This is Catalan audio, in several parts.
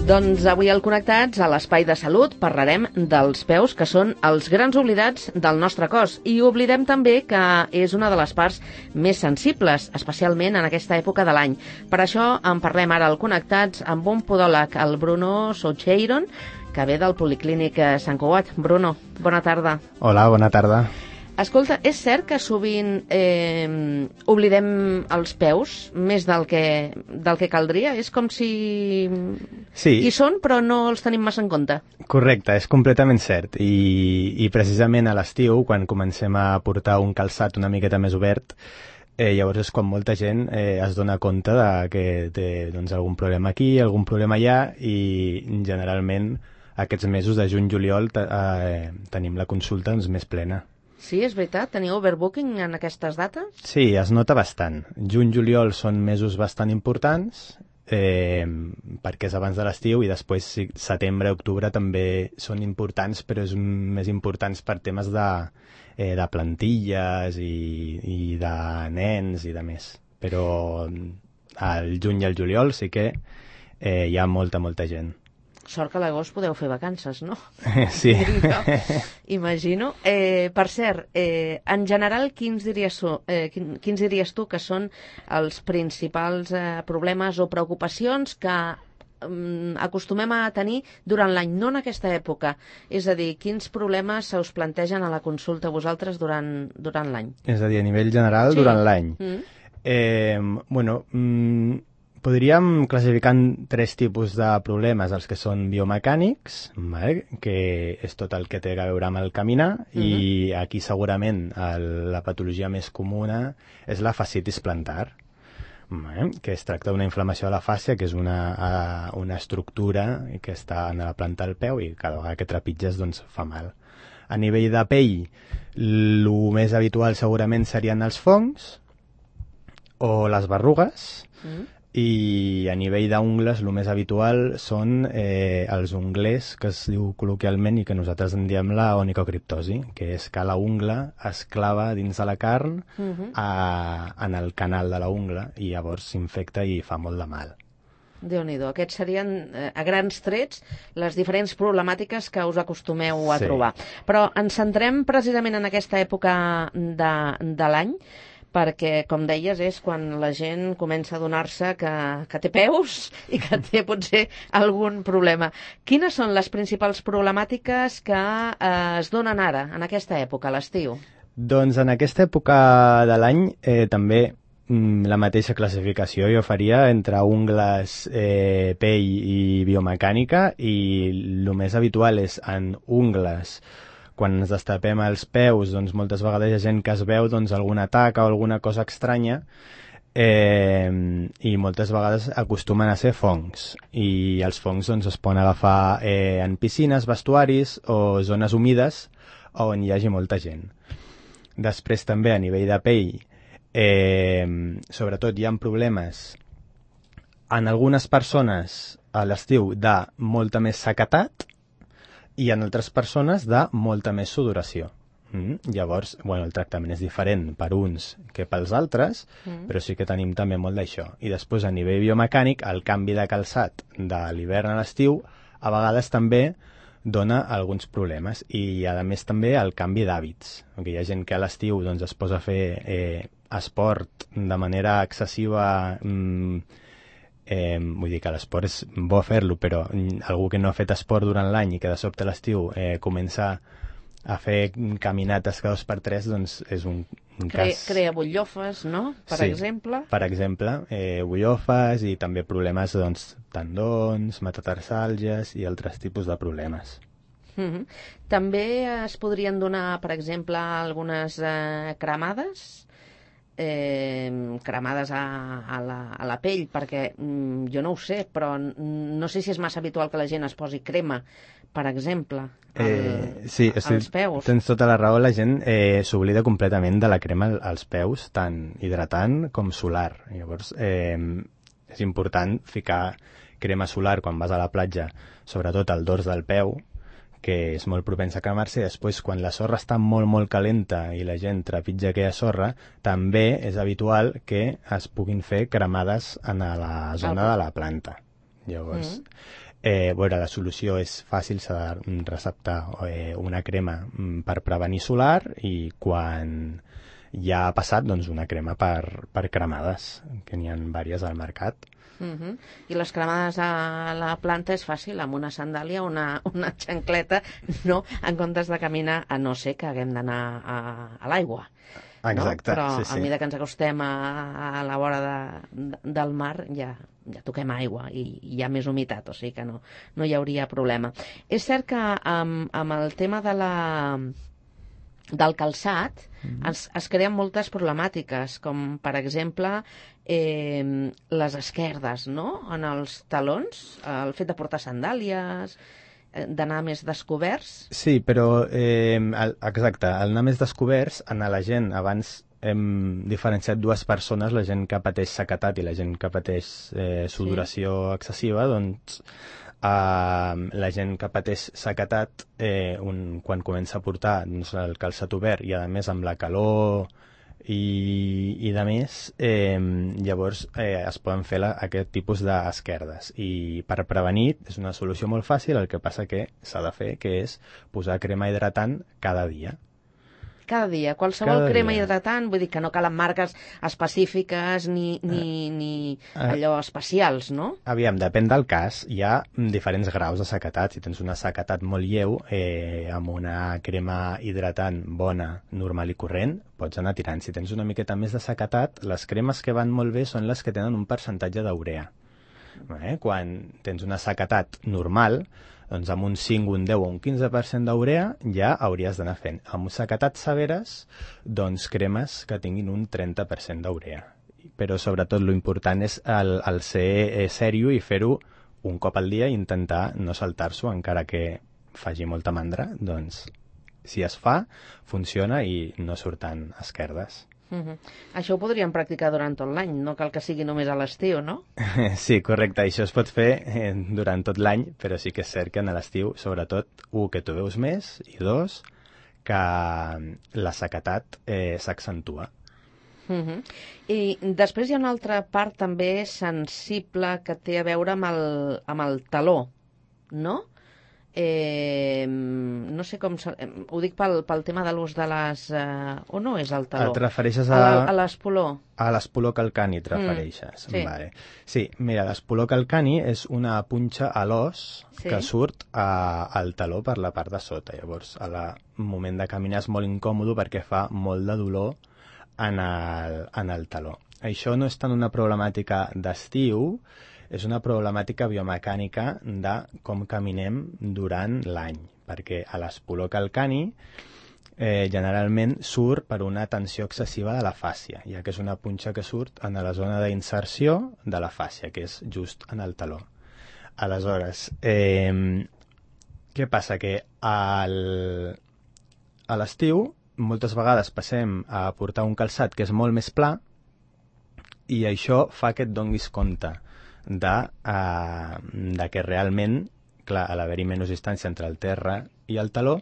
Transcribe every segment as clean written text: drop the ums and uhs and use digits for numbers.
Doncs avui al Connectats, a l'Espai de Salut, parlarem dels peus, que són els grans oblidats del nostre cos. I oblidem també que és una de les parts més sensibles, especialment en aquesta època de l'any. Per això en parlem ara al Connectats amb un podòleg, el Bruno Soucheiron, que ve del Policlínic Sant Cugat. Bruno, bona tarda. Hola, bona tarda. Escolta, és cert que sovint oblidem els peus més del que caldria? És com si hi són, però no els tenim massa en compte. Correcte, és completament cert. I precisament a l'estiu, quan comencem a portar un calçat una miqueta més obert, llavors és quan molta gent es dona compte de que té algun problema aquí, algun problema allà, i generalment aquests mesos de juny-juliol tenim la consulta més plena. Sí, és veritat? Teniu overbooking en aquestes dates? Sí, es nota bastant. Juny-juliol són mesos bastant importants, perquè és abans de l'estiu, i després setembre i octubre també són importants, però és més importants per temes de plantilles i de nens i de més. Però al juny i al juliol sí que hi ha molta gent. Sort que a l'agost podeu fer vacances, no? Sí. Imagino. Per cert, en general, quins diries tu que són els principals problemes o preocupacions que acostumem a tenir durant l'any, no en aquesta època? És a dir, quins problemes se us plantegen a la consulta a vosaltres durant l'any? És a dir, a nivell general, sí. Durant l'any. Podríem classificar en 3 tipus de problemes, els que són biomecànics, vale? Que és tot el que té a veure amb el caminar, i aquí segurament la patologia més comuna és la fascitis plantar, vale? Que es tracta d'una inflamació de la fàscia, que és una estructura que està en la planta del peu i cada vegada que trepitges fa mal. A nivell de pell, el més habitual segurament serien els fongs o les berrugues, i a nivell d'ungles el més habitual són els unglers, que es diu col·loquialment i que nosaltres en diem la onicocriptosi, que és que la ungla es clava dins de la carn en el canal de la ungla i llavors s'infecta i fa molt de mal. Déu-n'hi-do. Aquests serien, a grans trets, les diferents problemàtiques que us acostumeu a trobar. Però ens centrem precisament en aquesta època de l'any, perquè, com deies, és quan la gent comença a adonar-se que té peus i que té potser algun problema. Quines són les principals problemàtiques que es donen ara, en aquesta època, a l'estiu? Doncs en aquesta època de l'any també la mateixa classificació jo faria entre ungles, pell i biomecànica, i el més habitual és en ungles. Quan ens destapem els peus, moltes vegades hi ha gent que es veu alguna taca o alguna cosa estranya, i moltes vegades acostumen a ser fongs, i els fongs es poden agafar en piscines, vestuaris o zones humides on hi hagi molta gent. Després també a nivell de pell, sobretot hi ha problemes en algunes persones a l'estiu de molta més sequetat, i en altres persones de molta més sudoració. Llavors, el tractament és diferent per uns que pels altres, però sí que tenim també molt d'això. I després, a nivell biomecànic, el canvi de calçat de l'hivern a l'estiu a vegades també dona alguns problemes. I, a més, també el canvi d'hàbits. Hi ha gent que a l'estiu es posa a fer esport de manera excessiva. Vull dir que l'esport és bo fer-lo, però algú que no ha fet esport durant l'any i que de sobte a l'estiu comença a fer caminates cada 2 per 3, és un cas... Crea butllofes, no? Per exemple. Per exemple, butllofes i també problemes tendons, metatarsalgies i altres tipus de problemes. També es podrien donar, per exemple, algunes cremades? Cremades a la pell, perquè jo no ho sé, però no sé si és massa habitual que la gent es posi crema, per exemple, als peus. Tens tota la raó, la gent s'oblida completament de la crema als peus, tant hidratant com solar. Llavors és important ficar crema solar quan vas a la platja, sobretot al dors del peu, que és molt propens a cremar-se, i després, quan la sorra està molt calenta i la gent trepitja aquella sorra, també és habitual que es puguin fer cremades en la zona de la planta. Llavors, Veure, la solució és fàcil, s'ha de receptar una crema per prevenir solar i quan ja ha passat, doncs una crema per cremades, que n'hi ha diverses al mercat. I les cremades a la planta és fàcil, amb una sandàlia, una xancleta, no, en comptes de caminar, a no ser que haguem d'anar a l'aigua. Exacte, no? Però sí, sí. a mesura que ens acostem a la vora del mar ja toquem aigua i hi ha més humitat, o sigui que no hi hauria problema. És cert que amb el tema del calçat es creen moltes problemàtiques, com per exemple les esquerdes, no? En els talons, el fet de portar sandàlies, d'anar més descoberts. Sí, però exacte, al anar més descoberts, a la gent, abans hem diferenciat dues persones, la gent que pateix sequetat i la gent que pateix sudoració excessiva, doncs la gent que pateix sequetat, quan comença a portar el calçat obert i a més amb la calor i de més, llavors es poden fer aquest tipus d'esquerdes i per prevenir és una solució molt fàcil, el que passa que s'ha de fer, que és posar crema hidratant cada dia. Cada dia, qualsevol crema hidratant, vull dir que no calen marques específiques ni allò especials, no? Aviam, depèn del cas, hi ha diferents graus de sequetat. Si tens una sequetat molt lleu, amb una crema hidratant bona, normal i corrent, pots anar tirant. Si tens una miqueta més de sequetat, les cremes que van molt bé són les que tenen un percentatge d'urea. Quan tens una sequetat normal, doncs amb un 5, un 10 o un 15% d'urea ja hauries d'anar fent. Amb sequetats severes, doncs cremes que tinguin un 30% d'urea. Però sobretot l'important és el ser serio i fer-ho un cop al dia i intentar no saltar-s'ho encara que faci molta mandra. Doncs si es fa, funciona i no surten esquerdes. Això ho podríem practicar durant tot l'any, no cal que sigui només a l'estiu, no? Sí, correcte, això es pot fer durant tot l'any, però sí que és cert que a l'estiu, sobretot, que tu veus més, i 2, que la sequetat s'accentua. I després hi ha una altra part també sensible que té a veure amb el taló, no? No sé com... ho dic pel tema de l'ús de les... o no és el taló? Et refereixes a l'espoló? A l'espoló calcani et refereixes. Sí. Vale. Sí, mira, l'espoló calcani és una punxa a l'os que surt al taló per la part de sota. Llavors, al moment de caminar és molt incòmode perquè fa molt de dolor en el taló. Això no és tant una problemàtica d'estiu, és una problemàtica biomecànica de com caminem durant l'any, perquè a l'espoló calcani generalment surt per una tensió excessiva de la fàscia, ja que és una punxa que surt en la zona d'inserció de la fàscia, que és just en el taló. Aleshores, què passa? Que a l'estiu moltes vegades passem a portar un calçat que és molt més pla i això fa que et donis compte de que realment, clar, a l'haver-hi menys distància entre el terra i el taló,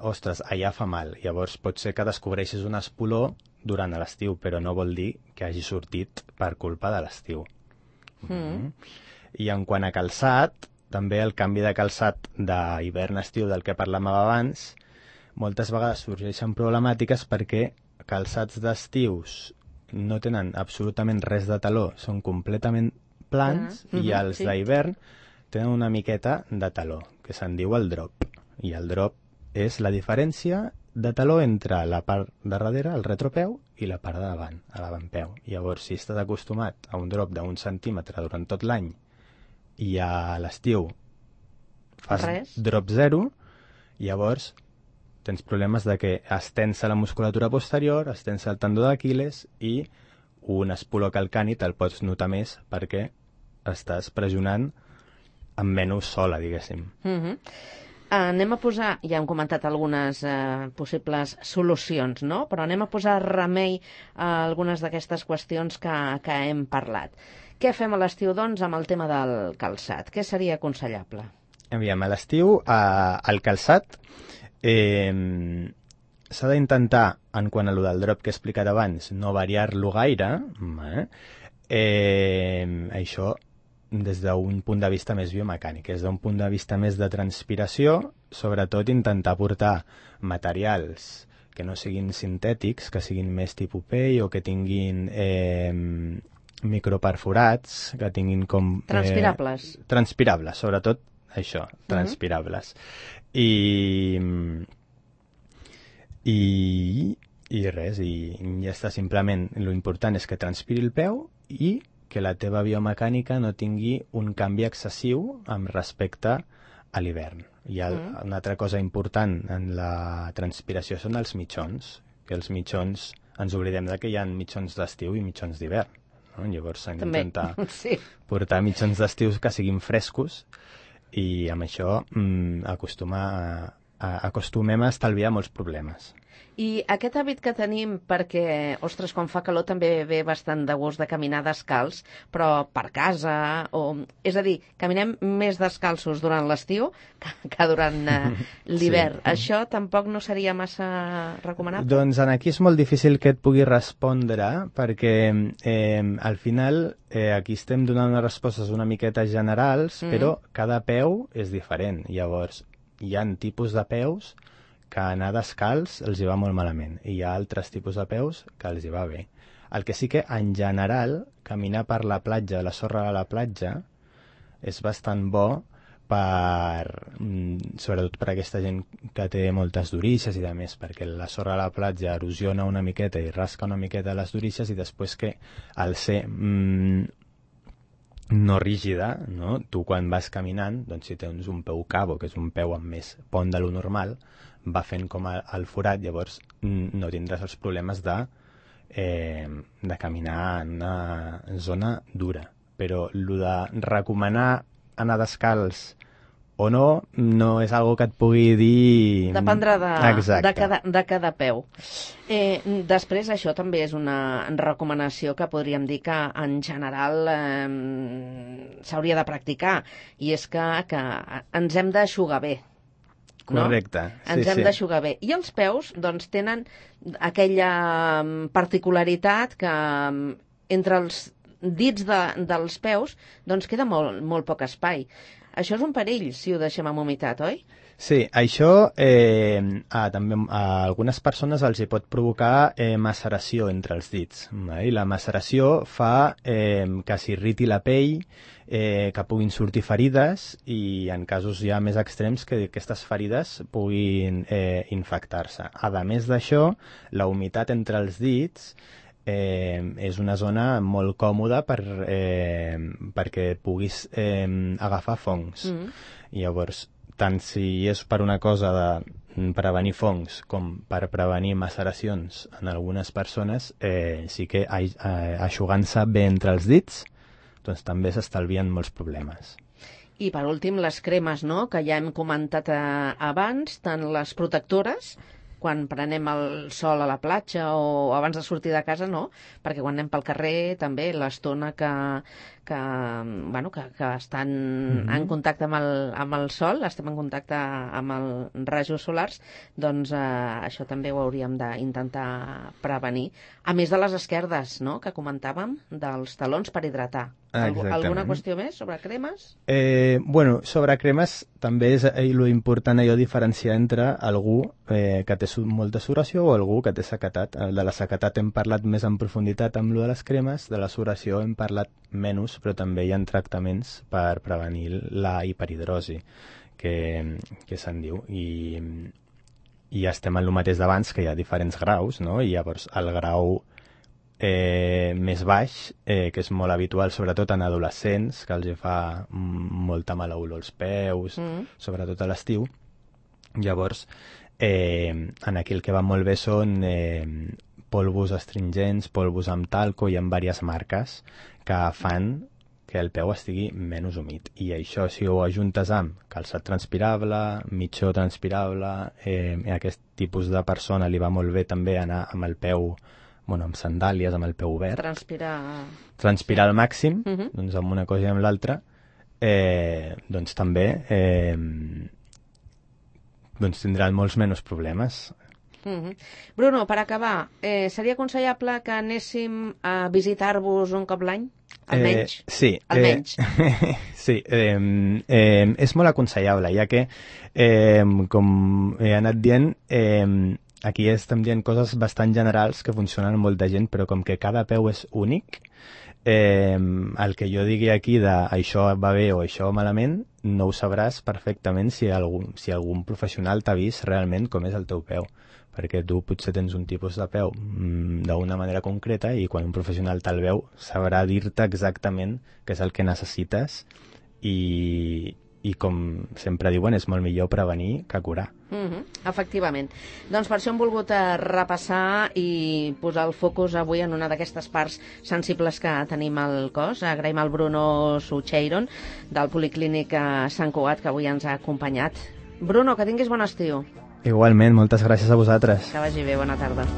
ostres, allà fa mal. Llavors pot ser que descobreixis un espoló durant l'estiu, però no vol dir que hagi sortit per culpa de l'estiu. I en quant a calçat, també el canvi de calçat d'hivern-estiu del que parlàvem abans, moltes vegades sorgeixen problemàtiques perquè calçats d'estius no tenen absolutament res de taló, són completament plans i els d'hivern tenen una miqueta de taló, que se'n diu el drop. I el drop és la diferència de taló entre la part de darrere, el retropeu, i la part de davant, a l'avantpeu. Llavors, si estàs acostumat a un drop d'un centímetre durant tot l'any i a l'estiu fas drop 0, llavors tens problemes de que es tensa la musculatura posterior, es tensa el tendó d'Aquil·les i un espoló calcani te'l pots notar més perquè estàs pressionant amb menys sola, diguéssim. Anem a posar, ja hem comentat algunes possibles solucions, no? Però anem a posar remei a algunes d'aquestes qüestions que hem parlat. Què fem a l'estiu, doncs, amb el tema del calçat? Què seria aconsellable? Aviam, a l'estiu, el calçat s'ha d'intentar, en quant a lo del drop que he explicat abans, no variar-lo gaire. Això des d'un punt de vista més biomecànic, des d'un punt de vista més de transpiració, sobretot intentar portar materials que no siguin sintètics, que siguin més tipus pell o que tinguin microperforats, que tinguin com... Transpirables. Transpirables, sobretot això, transpirables. I res, i ja està, simplement lo important és que transpiri el peu i que la teva biomecànica no tingui un canvi excessiu amb respecte a l'hivern. Hi ha una altra cosa important en la transpiració són els mitjons, que els mitjons, ens oblidem de que hi ha mitjons d'estiu i mitjons d'hivern, no? Llavors s'han d'intentar portar mitjons d'estius que siguin frescos i amb això acostumem a estalviar molts problemes. I aquest hàbit que tenim perquè, ostres, quan fa calor també ve bastant de gust de caminar descalç, però per casa, és a dir, caminem més descalços durant l'estiu que durant l'hivern. Sí. Això tampoc no seria massa recomanable? Doncs aquí és molt difícil que et pugui respondre, perquè al final aquí estem donant unes respostes una miqueta generals, però cada peu és diferent. Llavors, hi ha tipus de peus que anar descalç els hi va molt malament i hi ha altres tipus de peus que els hi va bé. El que sí que, en general, caminar per la platja, la sorra de la platja, és bastant bo sobretot per aquesta gent que té moltes durícies i de més, perquè la sorra de la platja erosiona una miqueta i rasca una miqueta les durícies i després que al ser no rígida, no? Tu quan vas caminant, doncs si tens un peu cabo, que és un peu amb més pont de lo normal, va fent com el forat, llavors no tindràs els problemes de caminar en una zona dura. Però el de recomanar anar descalç o no és algo que et pugui dir... Dependrà de cada peu. Després, això també és una recomanació que podríem dir que en general s'hauria de practicar, i és que ens hem d'aixugar bé. No? Correcte. Ens hem d'aixugar bé. I els peus, doncs, tenen aquella particularitat que entre els dits dels peus doncs queda molt poc espai. Això és un perill, si ho deixem amb humitat, oi? Sí, això també a algunes persones els hi pot provocar maceració entre els dits. I la maceració fa que s'irriti la pell, que puguin sortir ferides i en casos ja més extrems que aquestes ferides puguin infectar-se. A més d'això, la humitat entre els dits és una zona molt còmoda perquè puguis agafar fongs. Llavors, tant si és per una cosa de prevenir fongs com per prevenir maceracions en algunes persones, sí que eixugant-se bé entre els dits, doncs també s'estalvien molts problemes. I per últim, les cremes, no?, que ja hem comentat abans, tant les protectores, quan prenem el sol a la platja o abans de sortir de casa, no, perquè quan anem pel carrer també l'estona que estan en contacte amb el sol, estem en contacte amb els rajos solars, doncs això també ho hauríem d'intentar prevenir. A més de les esquerdes, no?, que comentàvem, dels talons per hidratar. Alguna qüestió més sobre cremes? Sobre cremes també és important allò diferenciar entre algú que té molta sudoració o algú que té sequedat. De la sequedat hem parlat més en profunditat amb lo de les cremes, de la sudoració hem parlat menys, però també hi ha tractaments per prevenir la hiperhidrosi, que se'n diu. I estem en el mateix d'abans, que hi ha diferents graus, no? I llavors el grau més baix, que és molt habitual sobretot en adolescents, que els fa molta mala olor als peus, sobretot a l'estiu. Llavors, en aquí el que va molt bé són polvos astringents, polvos amb talco, i amb diverses marques que fan que el peu estigui menys humit. I això, si ho ajuntes amb calçat transpirable, mitjó transpirable, a aquest tipus de persona li va molt bé també anar amb el peu, amb sandàlies, amb el peu obert. Transpirar al màxim, doncs amb una cosa i amb l'altra, doncs també tindran molts menys problemes. Bruno, per acabar, seria aconsellable que anéssim a visitar-vos un cop l'any? Almenys? Sí. Almenys. Sí, és molt aconsellable, ja que, com he anat dient, aquí estem dient coses bastant generals que funcionen amb molta gent, però com que cada peu és únic, el que jo digui aquí de això va bé o això malament, no ho sabràs perfectament si algun professional t'ha vist realment com és el teu peu, perquè tu potser tens un tipus de peu d'una manera concreta i quan un professional te'l veu sabrà dir-te exactament què és el que necessites i com sempre diuen, és molt millor prevenir que curar. Efectivament. Doncs per això hem volgut repassar i posar el focus avui en una d'aquestes parts sensibles que tenim al cos. Agraïm al Bruno Sucheiron del Policlínic Sant Cugat que avui ens ha acompanyat. Bruno, que tinguis bon estiu. Igualment, moltes gràcies a vosaltres. Que vagi bé, bona tarda.